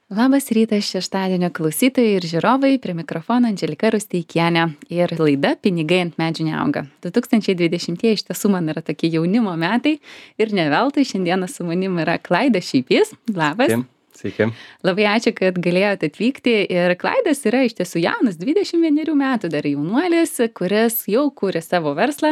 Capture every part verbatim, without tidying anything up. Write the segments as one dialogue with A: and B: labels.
A: Labas rytas šeštadienio klausytojai ir žiūrovai, prie mikrofono Andželika Rusteikienė ir laida Pinigai ant medžių neauga. du tūkstančiai dvidešimtieji iš tiesų man yra tokie jaunimo metai ir ne veltui šiandieną su manim yra Klaidas Šeipys. Labas.
B: Sveiki. Sveiki.
A: Labai ačiū, kad galėjote atvykti ir Klaidas yra iš tiesų jaunas, dvidešimt vienerių metų dar jaunuolis, kuris jau kūrė savo verslą,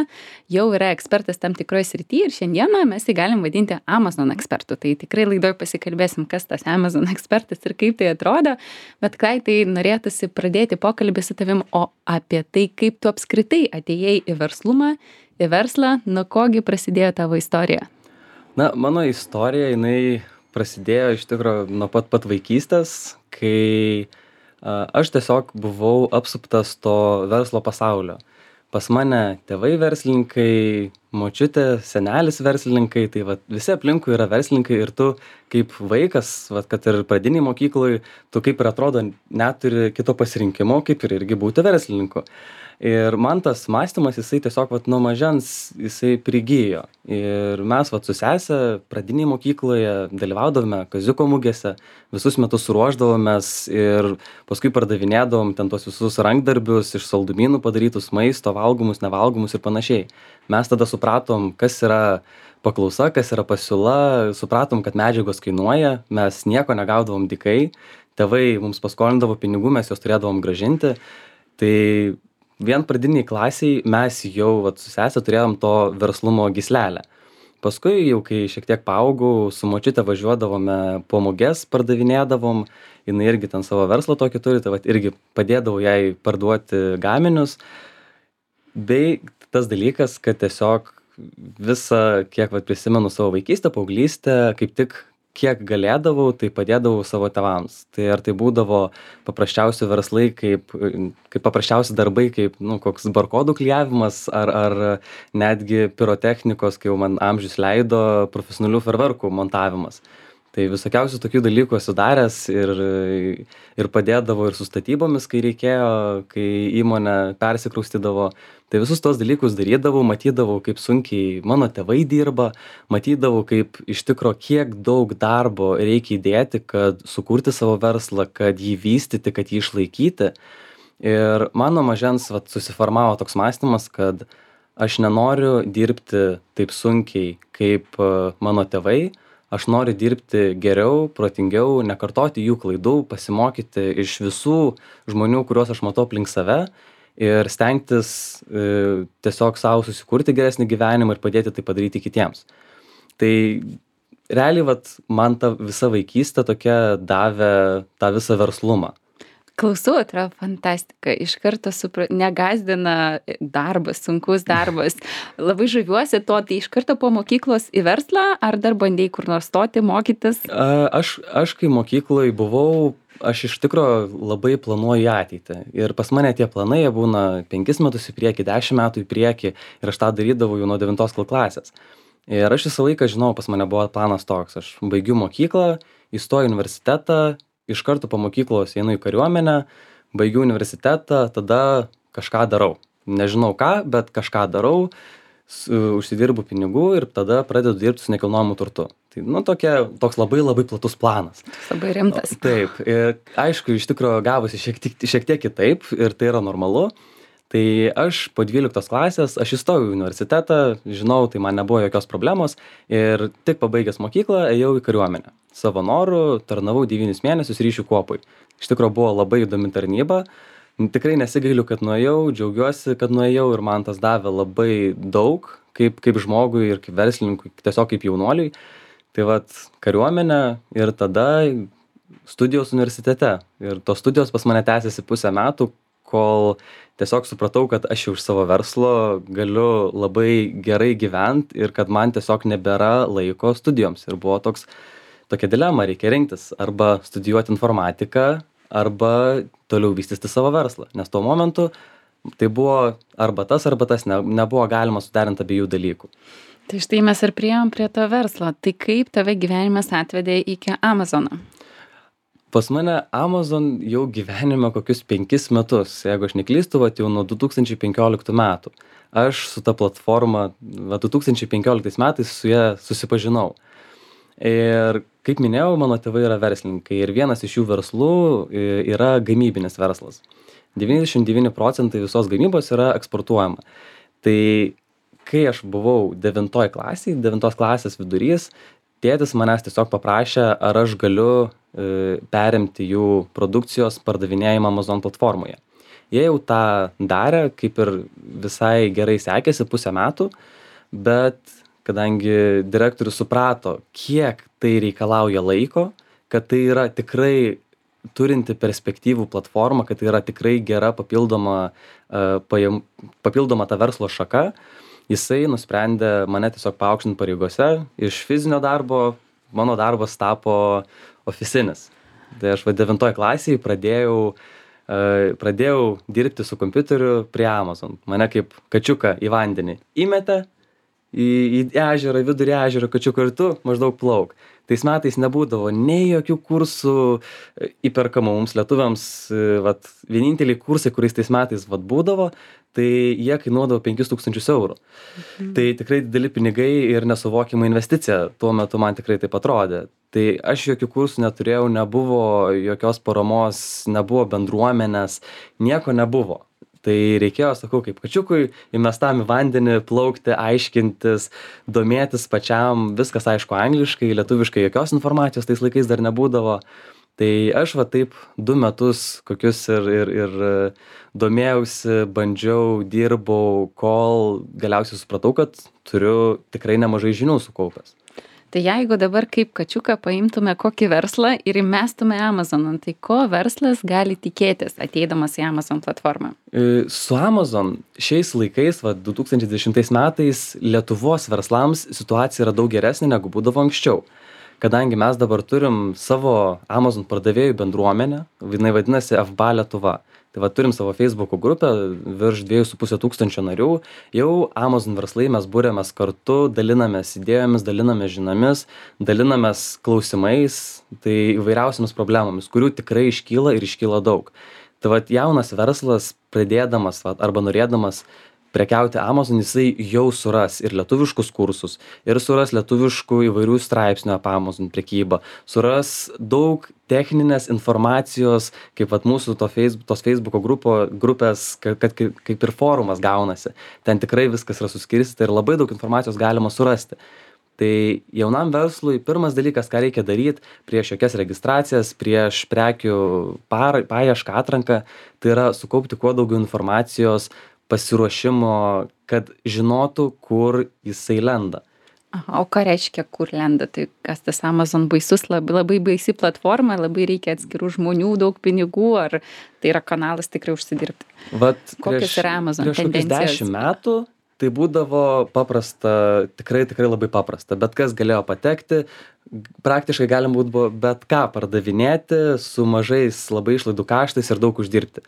A: jau yra ekspertas tam tikroje srityje ir šiandieną mes jį galim vadinti Amazon ekspertu. Tai tikrai laidoj pasikalbėsim, kas tas Amazon ekspertas ir kaip tai atrodo, bet Klaidai norėtųsi pradėti pokalbį su tavim, o apie tai, kaip tu apskritai atėjai į verslumą, į verslą, nuo kogi prasidėjo tavo istorija.
B: Na, mano istorija, jinai prasidėjo iš tikrųjų nuo pat pat vaikystės, kai a, aš tiesiog buvau apsuptas to verslo pasaulio. Pas mane tėvai verslininkai, močiutė, senelis verslininkai, tai vat, visi aplinkui yra verslininkai ir tu kaip vaikas, vat, kad ir pradiniai mokykloj, tu kaip ir atrodo neturi kito pasirinkimo, kaip ir irgi būti verslininku. Ir man tas mąstymas, jisai tiesiog vat, nuo mažens jisai prigijo. Ir mes vat, su sese pradinėje mokykloje dalyvaudavome kaziuko mugėse, visus metus ruošdavomės ir paskui pardavinėdavom ten tos visus rankdarbius iš saldumynų padarytus maisto, valgomus, nevalgomus ir panašiai. Mes tada supratom, kas yra paklausa, kas yra pasiūla, supratom, kad medžiagos kainuoja, mes nieko negaudavom dykai, tėvai mums paskolindavo pinigų, mes juos turėdavom gražinti. Tai vien pradiniai klasiai mes jau vat, su sese turėjom to verslumo gyslelę. Paskui jau kai šiek tiek paaugau, su močiute važiuodavome po muges, pardavinėdavom, jinai irgi ten savo verslą tokį turi, tai vat, irgi padėdavau jai parduoti gaminius. Bei tas dalykas, kad tiesiog visą, kiek vat, prisimenu savo vaikystę, paauglystę, kaip tik kiek galėdavau, tai padėdavau savo tėvams. Tai ar tai būdavo paprasčiausi verslai, kaip, kaip paprasčiausi darbai, kaip nu, koks barkodų klijavimas, ar, ar netgi pirotechnikos, kai jau man amžius leido, profesionalių ferverkų montavimas. Tai visokiausių tokių dalykų esu daręs ir, ir padėdavo ir su statybomis, kai reikėjo, kai įmonė persikraustydavo. Tai visus tos dalykus darydavau, matydavau, kaip sunkiai mano tėvai dirba, matydavau, kaip iš tikro kiek daug darbo reikia įdėti, kad sukurti savo verslą, kad jį vystyti, kad jį išlaikyti. Ir mano mažens vat, susiformavo toks mąstymas, kad aš nenoriu dirbti taip sunkiai kaip mano tėvai, aš noriu dirbti geriau, protingiau, nekartoti jų klaidų, pasimokyti iš visų žmonių, kuriuos aš matau aplink save ir stengtis e, tiesiog savo susikurti geresnį gyvenimą ir padėti tai padaryti kitiems. Tai realiai vat, man ta visa vaikystė tokia davė tą visą verslumą.
A: Klausau, atrodo fantastika, iš karto supra... negazdina darbas, sunkus darbas. Labai žaviuosi to, tai iš karto po mokyklos į verslą, ar dar bandėjai kur nors stoti, mokytis?
B: A, aš, aš kai mokykloje buvau, aš iš tikro labai planuoju ateitį. Ir pas mane tie planai jie būna penkis metus į priekį, dešimt metų į priekį ir aš tą darydavau jau nuo devintos klasės. Ir aš visą laiką žinau, pas mane buvo planas toks, aš baigiu mokyklą, įstoju į universitetą, iš karto po mokyklos einu į kariuomenę, baigiu universitetą, tada kažką darau. Nežinau ką, bet kažką darau, su, užsidirbu pinigų ir tada pradedu dirbti su nekilnojamu turtu. Tai, nu, tokia, toks labai labai platus planas.
A: Labai rimtas.
B: Taip, ir aišku, iš tikrųjų gavosi šiek tiek, šiek tiek kitaip ir tai yra normalu. Tai aš po dvyliktos klasės, aš įstojau į universitetą, žinau, tai man nebuvo jokios problemos ir tik pabaigęs mokyklą ėjau į kariuomenę. Savo norų tarnavau devynis mėnesius ryšių kuopoj. Iš tikrųjų buvo labai įdomi tarnyba, tikrai nesigailiu, kad nuėjau, džiaugiuosi, kad nuėjau ir man tas davė labai daug, kaip, kaip žmogui ir kaip verslininkui, tiesiog kaip jaunuoliui. Tai vat kariuomenė ir tada studijos universitete. Ir tos studijos pas mane tęsiasi pusę metų, kol tiesiog supratau, kad aš jau iš savo verslo galiu labai gerai gyventi ir kad man tiesiog nebėra laiko studijoms. Ir buvo toks, tokia dilema, reikia rinktis arba studijuoti informatiką, arba toliau vystyti savo verslą. Nes tuo momentu tai buvo arba tas, arba tas, ne, nebuvo galima suderinti abiejų dalykų.
A: Tai štai mes ir priėjom prie to verslo. Tai kaip tave gyvenimas atvedė iki Amazono?
B: Pas mane Amazon jau gyvenime kokius penkis metus, jeigu aš neklystu, vat jau nuo du tūkstančiai penkioliktų metų. Aš su ta platforma va, du tūkstančiai penkioliktais metais su ja susipažinau. Ir kaip minėjau, mano tėvai yra verslininkai ir vienas iš jų verslų i yra gamybinis verslas. devyniasdešim devyni procentai visos gamybos yra eksportuojama. Tai kai aš buvau devintoj klasėj, devintos klasės vidurys, tėtis manęs tiesiog paprašė, ar aš galiu e, perimti jų produkcijos pardavinėjimą Amazon platformoje. Jie jau tą darė, kaip ir visai gerai sekėsi pusę metų, bet kadangi direktorius suprato, kiek tai reikalauja laiko, kad tai yra tikrai turinti perspektyvų platformą, kad tai yra tikrai gera papildoma, uh, pajam, papildoma ta verslo šaka, jisai nusprendė mane tiesiog paaukštinti pareigose. Iš fizinio darbo mano darbas tapo ofisinis. Tai aš va devintoj klasėje pradėjau, uh, pradėjau dirbti su kompiuteriu prie Amazon. Mane kaip kačiuką į vandenį įmetė, į, į ežerą, vidurį ežero kačiuką ir tu maždaug plauk. Tais metais nebūdavo nei jokių kursų įperkamų mums lietuviams, vat, vieninteliai kursai, kuriais tais metais vat, būdavo, tai jie kainuodavo penkis tūkstančius eurų. Mhm. Tai tikrai dideli pinigai ir nesuvokiama investicija, tuo metu man tikrai taip atrodė. Tai aš jokių kursų neturėjau, nebuvo jokios paramos, nebuvo bendruomenės, nieko nebuvo. Tai reikėjo, sakau, kaip kačiukui, įmestam į vandenį, plaukti, aiškintis, domėtis pačiam, viskas aišku angliškai, lietuviškai jokios informacijos tais laikais dar nebūdavo. Tai aš va taip du metus kokius ir, ir, ir domėjausi, bandžiau, dirbau, kol galiausiai supratau, kad turiu tikrai nemažai žinių sukaupęs.
A: Tai jeigu dabar kaip kačiuką paimtume kokį verslą ir įmestume Amazoną, tai ko verslas gali tikėtis ateidamas į Amazon platformą?
B: Su Amazon šiais laikais, va, du tūkstančiai dvidešimtais metais, Lietuvos verslams situacija yra daug geresnė negu būdavo anksčiau. Kadangi mes dabar turim savo Amazon pardavėjų bendruomenę, jinai vadinasi F B A Lietuva. Tai va, turim savo Facebook'o grupę, virš dviejų su pusė tūkstančio narių. Jau Amazon verslai mes būrėmės kartu, dalinamės idėjomis, dalinamės žinomis, dalinamės klausimais, tai įvairiausiamis problemomis, kurių tikrai iškyla ir iškyla daug. Tai va, jaunas verslas, pradėdamas va, arba norėdamas prekiauti Amazon, jisai jau suras ir lietuviškus kursus, ir suras lietuviškų įvairių straipsnių apie Amazon prekybą, suras daug techninės informacijos, kaip vat mūsų to Facebook, tos Facebook'o grupo, grupės, kad, kad kaip ir forumas gaunasi. Ten tikrai viskas yra suskirstyta ir labai daug informacijos galima surasti. Tai jaunam verslui pirmas dalykas, ką reikia daryti prieš jokias registracijas, prieš prekių par, paiešką, atranką, tai yra sukaupti kuo daugiau informacijos, pasiruošimo, kad žinotų, kur jisai lenda.
A: Aha, o ką reiškia, kur lenda? Tai kas tas Amazon baisus, labai, labai baisi platforma, labai reikia atskirų žmonių, daug pinigų, ar tai yra kanalas tikrai užsidirbti?
B: Vat
A: kokios
B: prieš,
A: yra Amazon
B: prieš
A: tendencijos?
B: dešimt metų tai būdavo paprasta, tikrai, tikrai labai paprasta. Bet kas galėjo patekti, praktiškai galim būtų bet ką pardavinėti su mažais labai išlaidų kaštais ir daug uždirbti.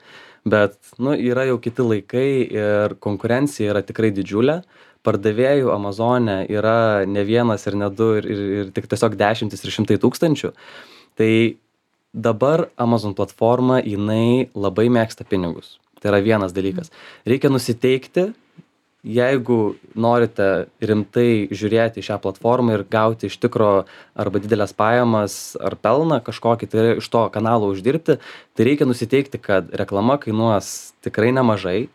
B: Bet, nu, yra jau kiti laikai ir konkurencija yra tikrai didžiulė. Pardavėjų Amazone yra ne vienas ir ne du ir, ir, ir tik tiesiog dešimtis ir šimtai tūkstančių. Tai dabar Amazon platforma, jinai labai mėgsta pinigus. Tai yra vienas dalykas. Reikia nusiteikti, jeigu norite rimtai žiūrėti šią platformą ir gauti iš tikro arba didelės pajamas ar pelną kažkokį, tai iš to kanalo uždirbti, tai reikia nusiteikti, kad reklama kainuos tikrai nemažai,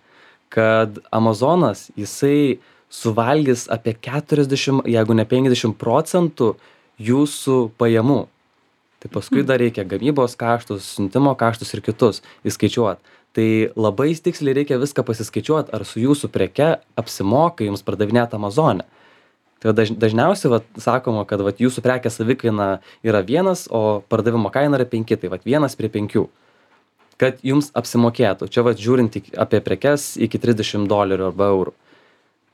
B: kad Amazonas, jisai suvalgys apie keturiasdešimt, jeigu ne penkiasdešimt procentų jūsų pajamų. Tai paskui dar reikia gamybos kaštus, siuntimo kaštus ir kitus įskaičiuoti. Tai labai tiksliai reikia viską pasiskaičiuoti, ar su jūsų preke apsimoka jums pardavinėti Amazone. Tai daž, dažniausiai vat, sakoma, kad vat, jūsų prekės savikaina yra vienas, o pardavimo kaina yra penki, tai vat, vienas prie penkių. Kad jums apsimokėtų. Čia vat, žiūrint apie prekes iki trisdešimt dolerių arba eurų.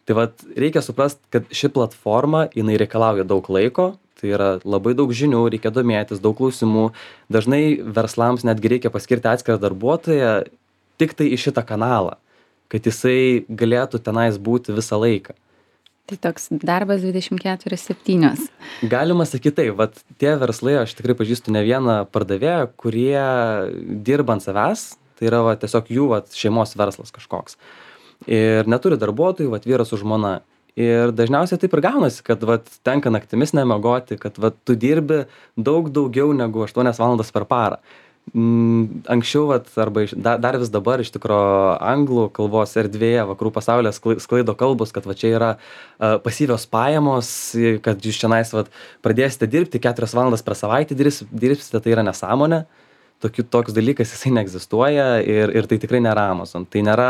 B: Tai vat, reikia suprasti, kad ši platforma, jinai reikalauja daug laiko, tai yra labai daug žinių, reikia domėtis, daug klausimų. Dažnai verslams netgi reikia paskirti atskirą darbuotoją tik tai į šitą kanalą, kad jisai galėtų tenais būti visą laiką.
A: Tai toks darbas dvidešimt keturios septynios.
B: Galima sakyti taip, vat tie verslai, aš tikrai pažįstu ne vieną pardavėją, kurie dirba ant savęs, tai yra va, tiesiog jų vat, šeimos verslas kažkoks. Ir neturi darbuotojų, vat vyras su žmona. Ir dažniausiai taip ir gaunasi, kad vat, tenka naktimis nemiegoti, kad vat, tu dirbi daug daugiau negu aštuonias valandas per parą. Mm, anksčiau, vat, arba iš, dar, dar vis dabar iš tikro anglų kalbos erdvėje, vakarų pasaulyje sklai- sklaido kalbos, kad va čia yra uh, pasyvios pajamos, kad jūs čionais vat, pradėsite dirbti keturias valandas per savaitę, dirbs- dirbsite, tai yra nesąmonė. Tokiu, toks dalykas jisai neegzistuoja ir, ir tai tikrai nėra Amazon. Tai nėra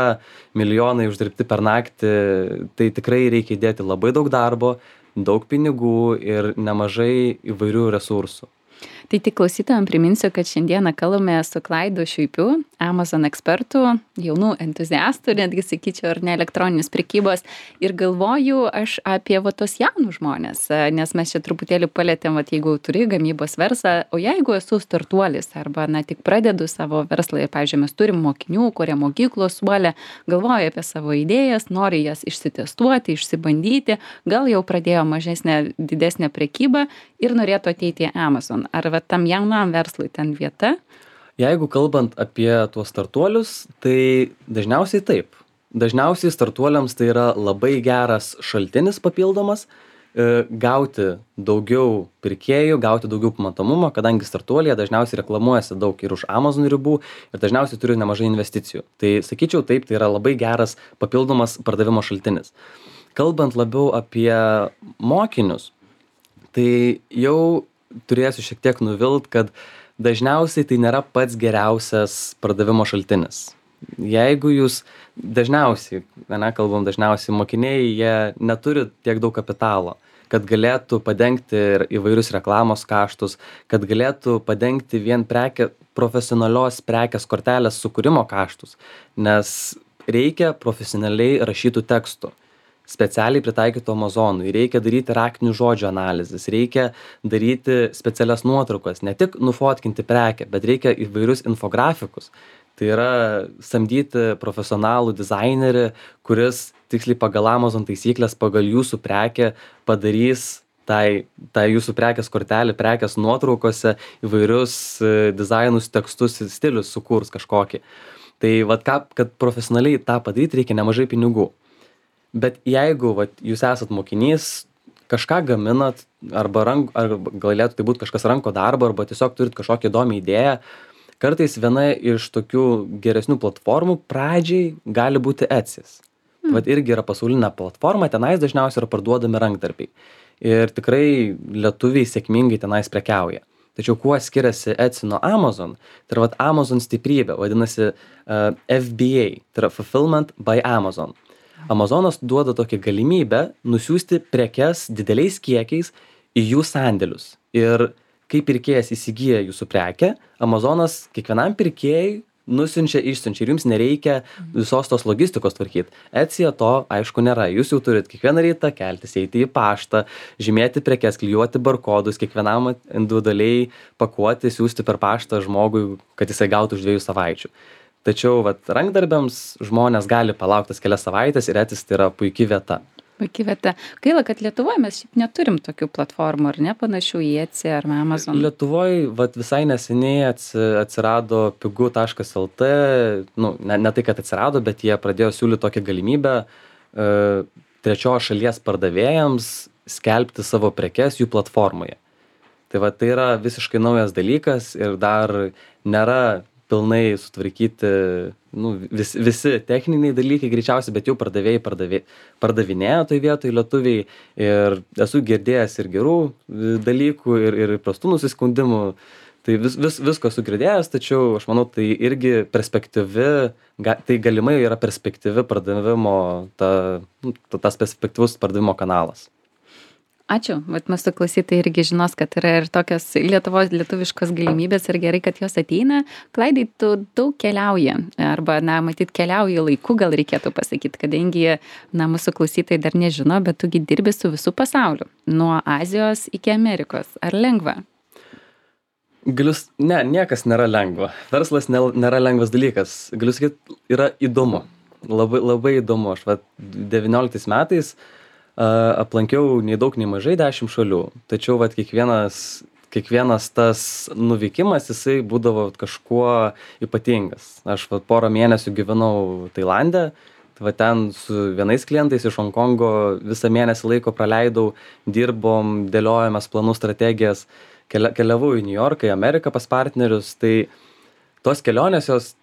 B: milijonai uždirbti per naktį, tai tikrai reikia įdėti labai daug darbo, daug pinigų ir nemažai įvairių resursų.
A: Tai tik klausytojam priminsiu, kad šiandieną kalbame su Klaidu Šuipiu, Amazon ekspertu, jaunų entuziastų, netgi sakyčiau, ar ne elektroninės prekybos. Ir galvoju aš apie va tos jaunus žmonės, nes mes čia truputėlį palėtėm, va, jeigu turi gamybos verslą, o jeigu esu startuolis arba na, tik pradedu savo verslą, ir, pavyzdžiui, mes turim mokinių, kurie mokyklos suolė, galvoja apie savo idėjas, nori jas išsitestuoti, išsibandyti, gal jau pradėjo mažesnę, didesnę prekybą ir norėtų ateiti į Amazon. Ar va, tam jaunam verslui ten vieta?
B: Jeigu kalbant apie tuos startuolius, tai dažniausiai taip. Dažniausiai startuoliams tai yra labai geras šaltinis papildomas, e, gauti daugiau pirkėjų, gauti daugiau pamatomumo, kadangi startuoliai dažniausiai reklamuojasi daug ir už Amazon ribų ir dažniausiai turi nemažai investicijų. Tai sakyčiau taip, tai yra labai geras papildomas pardavimo šaltinis. Kalbant labiau apie mokinius, tai jau turėsiu šiek tiek nuvilt, kad dažniausiai tai nėra pats geriausias pardavimo šaltinis. Jeigu jūs dažniausiai, ne, kalbam dažniausiai, mokiniai, jie neturi tiek daug kapitalo, kad galėtų padengti ir įvairius reklamos kaštus, kad galėtų padengti vien prekė, profesionalios prekės kortelės sukūrimo kaštus, nes reikia profesionaliai rašytų tekstų. Specialiai pritaikytų Amazonui, reikia daryti raktinių žodžių analizės, reikia daryti specialias nuotraukas, ne tik nufotkinti prekę, bet reikia įvairius infografikus. Tai yra samdyti profesionalų dizainerį, kuris tiksliai pagal Amazon taisyklės, pagal jūsų prekę padarys tai, tai jūsų prekės kortelį, prekės nuotraukose įvairius dizainus, tekstus, stilius sukurs kažkokį. Tai vat, ką, kad profesionaliai tą padaryti, reikia nemažai pinigų. Bet jeigu vat, jūs esat mokinys, kažką gaminat, arba, rank, arba galėtų tai būti kažkas ranko darbo, arba tiesiog turit kažkokią įdomią idėją, kartais viena iš tokių geresnių platformų pradžiai gali būti Etsy's. Mm. Vat irgi yra pasaulinė platforma, tenais dažniausiai yra parduodami rankdarbiai. Ir tikrai lietuviai sėkmingai tenais prekiauja. Tačiau kuo skiriasi Etsy nuo Amazon, tai yra vat, Amazon stiprybė, vadinasi uh, F B A, tai yra Fulfillment by Amazon. Amazonas duoda tokią galimybę nusiųsti prekes dideliais kiekiais į jų sandėlius. Ir kai pirkėjas įsigyja jūsų prekę, Amazonas kiekvienam pirkėjui nusiunčia, išsiunčia ir jums nereikia visos tos logistikos tvarkyti. Etsyje to, aišku, nėra. Jūs jau turit kiekvieną rytą keltis, eiti į paštą, žymėti prekes, klijuoti barkodus, kiekvienam individualiai pakuoti, siūsti per paštą žmogui, kad jisai gautų už dviejų savaičių. Tačiau vat, rankdarbiams žmonės gali palaukti tas kelias savaitės ir Etsy tai yra puikia vieta.
A: Puikia vieta. Gaila, kad Lietuvoje mes šiaip neturim tokių platformų, ar ne, panašių į Etsy ar Amazon.
B: Lietuvoje vat, visai neseniai atsirado pigu taškas el tė, nu, ne, ne tai, kad atsirado, bet jie pradėjo siūlyti tokią galimybę e, trečios šalies pardavėjams skelbti savo prekes jų platformoje. Tai vat, tai yra visiškai naujas dalykas ir dar nėra pilnai sutvarkyti nu, vis, visi techniniai dalykai greičiausiai, bet jau pardavėjai pardavė, pardavinėjo toj vietoj lietuviai ir esu girdėjęs ir gerų dalykų ir, ir prastų nusiskundimų. Tai vis, vis, visko esu girdėjęs, tačiau aš manau, tai irgi perspektyvi, ga, tai galimai yra perspektyvi pardavimo, ta, tas perspektyvus pardavimo kanalas.
A: Ačiū, vat mūsų klausytojai irgi žinos, kad yra ir tokios Lietuvos lietuviškos galimybės ir gerai, kad jos ateina. Klaidai, tu daug keliauji, arba, na, matyt, keliauji laiku, gal reikėtų pasakyti, kadangi, na, mūsų klausytojai dar nežino, bet tugi dirbi su visų pasauliu, nuo Azijos iki Amerikos. Ar lengva?
B: Galiu, ne, niekas nėra lengva. Verslas nėra lengvas dalykas. Galiu sakyti, yra įdomu. Labai, labai įdomu. Aš, va, devynioliktais metais aplankiau nei daug, nei mažai dešimt šalių. Tačiau vat, kiekvienas, kiekvienas tas nuvykimas, jisai būdavo kažkuo ypatingas. Aš vat, porą mėnesių gyvenau Tailande. Tai va ten su vienais klientais iš Honkongo visą mėnesį laiko praleidau, dirbom, dėliojomės planų strategijas, kelia keliavau į Niujorką, į Ameriką pas partnerius, tai tos kelionės jos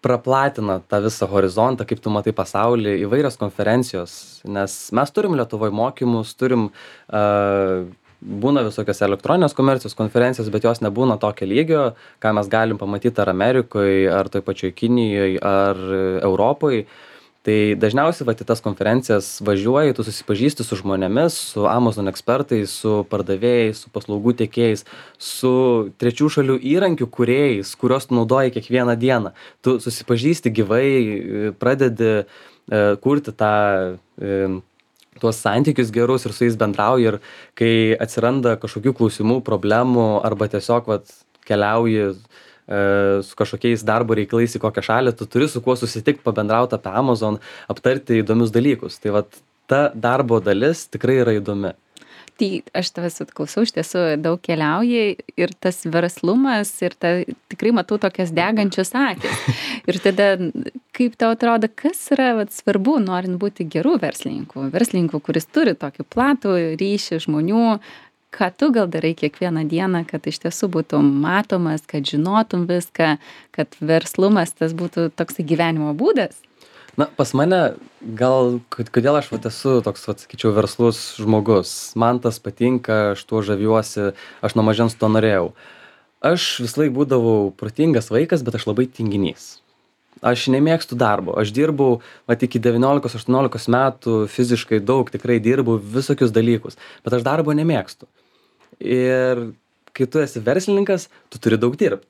B: praplatina tą visą horizontą, kaip tu matai pasaulį, įvairios konferencijos, nes mes turim Lietuvoj mokymus, turim uh, būna visokios elektroninės komercijos konferencijos, bet jos nebūna tokio lygio, ką mes galim pamatyti ar Amerikoje, ar toj pačioj Kinijoje, ar Europoje. Tai dažniausiai vat į tas konferencijas važiuoji, tu susipažįsti su žmonėmis, su Amazon ekspertais, su pardavėjais, su paslaugų tiekėjais, su trečių šalių įrankių kūrėjais, kuriuos tu naudoji kiekvieną dieną. Tu susipažįsti gyvai, pradedi e, kurti tą e, tuos santykius gerus ir su jais bendrauji, ir kai atsiranda kažkokių klausimų, problemų arba tiesiog vat keliauji e, su kažkokiais darbo reikalais į kokią šalį, tu turi su kuo susitikti, pabendrauti apie Amazon, aptarti įdomius dalykus. Tai vat ta darbo dalis tikrai yra įdomi.
A: Tai aš tavęs atklausau, iš tiesų daug keliauji ir tas verslumas ir ta, tikrai matau tokias degančias akis. Ir tada, kaip tau atrodo, kas yra vat, svarbu, norint būti gerų verslininkų, verslininkų, kuris turi tokį platų ryšį žmonių, ką tu gal darai kiekvieną dieną, kad iš tiesų būtum matomas, kad žinotum viską, kad verslumas tas būtų toks gyvenimo būdas?
B: Na, pas mane gal, kodėl aš vat esu toks, vat, sakyčiau, verslus žmogus. Man tas patinka, aš tuo žaviuosi, aš nuo mažens to norėjau. Aš vis laik būdavau protingas vaikas, bet aš labai tinginys. Aš nemėgstu darbo. Aš dirbau, vat iki devyniolikos aštuoniolikos metų fiziškai daug, tikrai dirbau visokius dalykus, bet aš darbo nemėgstu. Ir kai tu esi verslininkas, tu turi daug dirbti.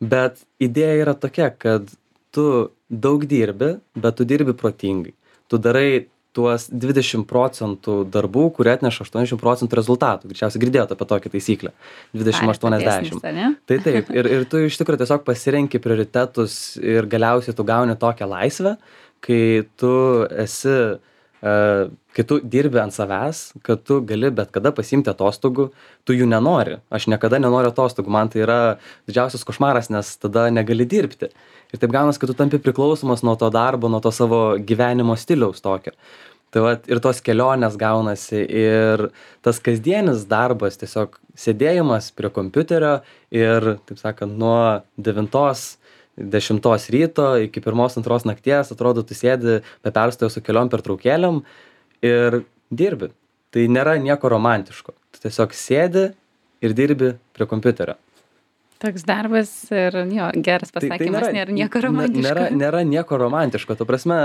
B: Bet idėja yra tokia, kad tu daug dirbi, bet tu dirbi protingai. Tu darai tuos dvidešimt procentų darbų, kurie atneša aštuoniasdešimt procentų rezultatų. Greičiausiai girdėjote apie tokią taisyklę. dvidešimt aštuoniasdešimt. Tai taip. Ir, ir tu iš tikrųjų tiesiog pasirenki prioritetus ir galiausiai tu gauni tokią laisvę, kai tu esi, uh, kai tu dirbi ant savęs, kad tu gali bet kada pasiimti atostogų, tu jų nenori. Aš niekada nenoriu atostogų. Man tai yra didžiausias košmaras, nes tada negali dirbti. Ir taip gaunas, kad tu tampi priklausomas nuo to darbo, nuo to savo gyvenimo stiliaus tokio. Tai vat ir tos kelionės gaunasi, ir tas kasdienis darbas, tiesiog sėdėjimas prie kompiuterio ir, taip sakant, nuo devintos, dešimtos ryto iki pirmos, antros nakties, atrodo, tu sėdi be perstojo su keliom pertraukėlėm ir dirbi. Tai nėra nieko romantiško. Tu tiesiog sėdi ir dirbi prie kompiuterio.
A: Toks darbas ir jo, geras pasakymas, tai, tai nėra, nėra nieko romantiško.
B: Nėra, nėra nieko romantiško. Tu prasme,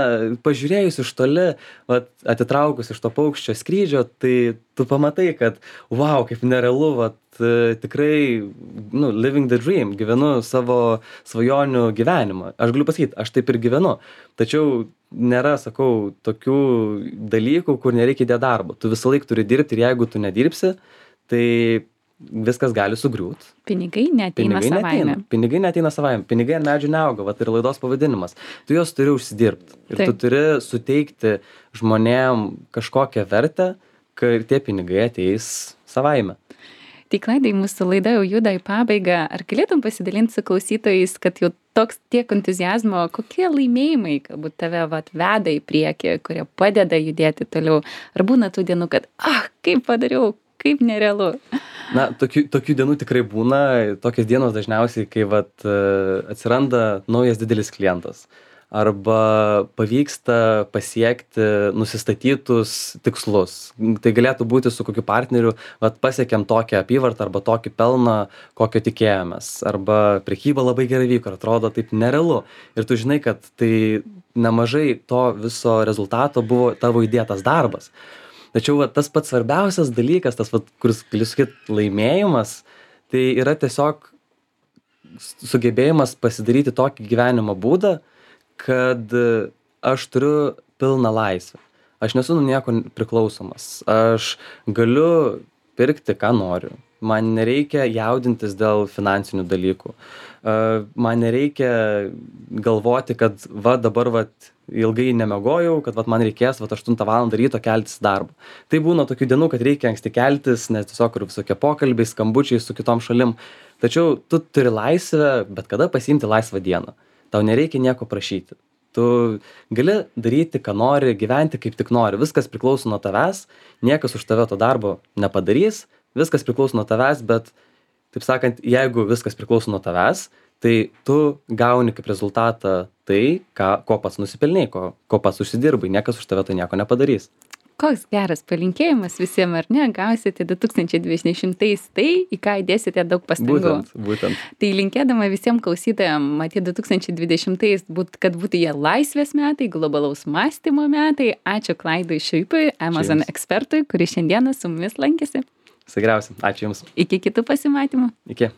B: pažiūrėjus iš toli, vat, atitraukus iš to paukščio skrydžio, tai tu pamatai, kad wow, kaip nerealu, vat, tikrai, nu, living the dream, gyvenu savo svajonių gyvenimą. Aš galiu pasakyti, aš taip ir gyvenu. Tačiau nėra, sakau, tokių dalykų, kur nereikia įdėti darbo. Tu visą laiką turi dirbti, ir jeigu tu nedirbsi, tai viskas gali sugriūt.
A: Pinigai neateina
B: Pinigai
A: savaime.
B: neateina. Pinigai neateina savaime. Pinigai ant medžių neauga, vat ir laidos pavadinimas. Tu juos turi užsidirbti. Ir
A: Taip.
B: tu turi suteikti žmonėm kažkokią vertę, kai tie pinigai ateis savaime.
A: Tai Klaidai, mūsų laida jau juda į pabaigą. Ar galėtum pasidalinti su klausytojais, kad jau toks tiek entuziazmo, kokie laimėjimai galbūt tave vat, veda į priekį, kurie padeda judėti toliau? Ar būna tų dienų, kad, ah, kaip padariau, kaip nerealu?
B: Na, tokių, tokių dienų tikrai būna. Tokios dienos dažniausiai, kai vat, atsiranda naujas didelis klientas. Arba pavyksta pasiekti nusistatytus tikslus. Tai galėtų būti su kokiu partneriu, vat, pasiekėm tokią apyvartą arba tokį pelną, kokio tikėjomės. Arba prekyba labai gerai vyko, atrodo taip nerealu. Ir tu žinai, kad tai nemažai to viso rezultato buvo tavo įdėtas darbas. Tačiau va, tas pats svarbiausias dalykas, tas, va, kuris, galiu sakyti, laimėjimas, tai yra tiesiog sugebėjimas pasidaryti tokį gyvenimo būdą, kad aš turiu pilną laisvę. Aš nesu nuo nieko priklausomas. Aš galiu pirkti, ką noriu. Man nereikia jaudintis dėl finansinių dalykų. Man nereikia galvoti, kad va dabar va ilgai nemiegojau, kad vat man reikės vat aštuntą valandą ryto keltis į darbą. Tai būna tokių dienų, kad reikia anksti keltis, nes tiesiog yra visokie pokalbiai, skambučiai su kitom šalim. Tačiau tu turi laisvę bet kada pasiimti laisvą dieną. Tau nereikia nieko prašyti. Tu gali daryti, ką nori, gyventi kaip tik nori. Viskas priklauso nuo tavęs, niekas už tave to darbo nepadarys, viskas priklauso nuo tavęs, bet, taip sakant, jeigu viskas priklauso nuo tavęs, tai tu gauni kaip rezultatą tai, ką, ko pats nusipelnėjai, ko, ko pats užsidirbai, niekas už tave to nieko nepadarys.
A: Koks geras palinkėjimas visiems, ar ne? Gausite du tūkstančiai dvidešimtais tai, į ką įdėsite daug pastangų.
B: Būtent, būtent.
A: Tai linkėdama visiems klausytojams, matyti du tūkstančiai dvidešimtais, būt, kad būtų jie laisvės metai, globalaus mąstymo metai. Ačiū Klaidui Šiuipui, Amazon ekspertui, kuris šiandieną su mumis lankėsi.
B: Visai geriausia. Ačiū Jums.
A: Iki kitų pasimatymų.
B: Iki.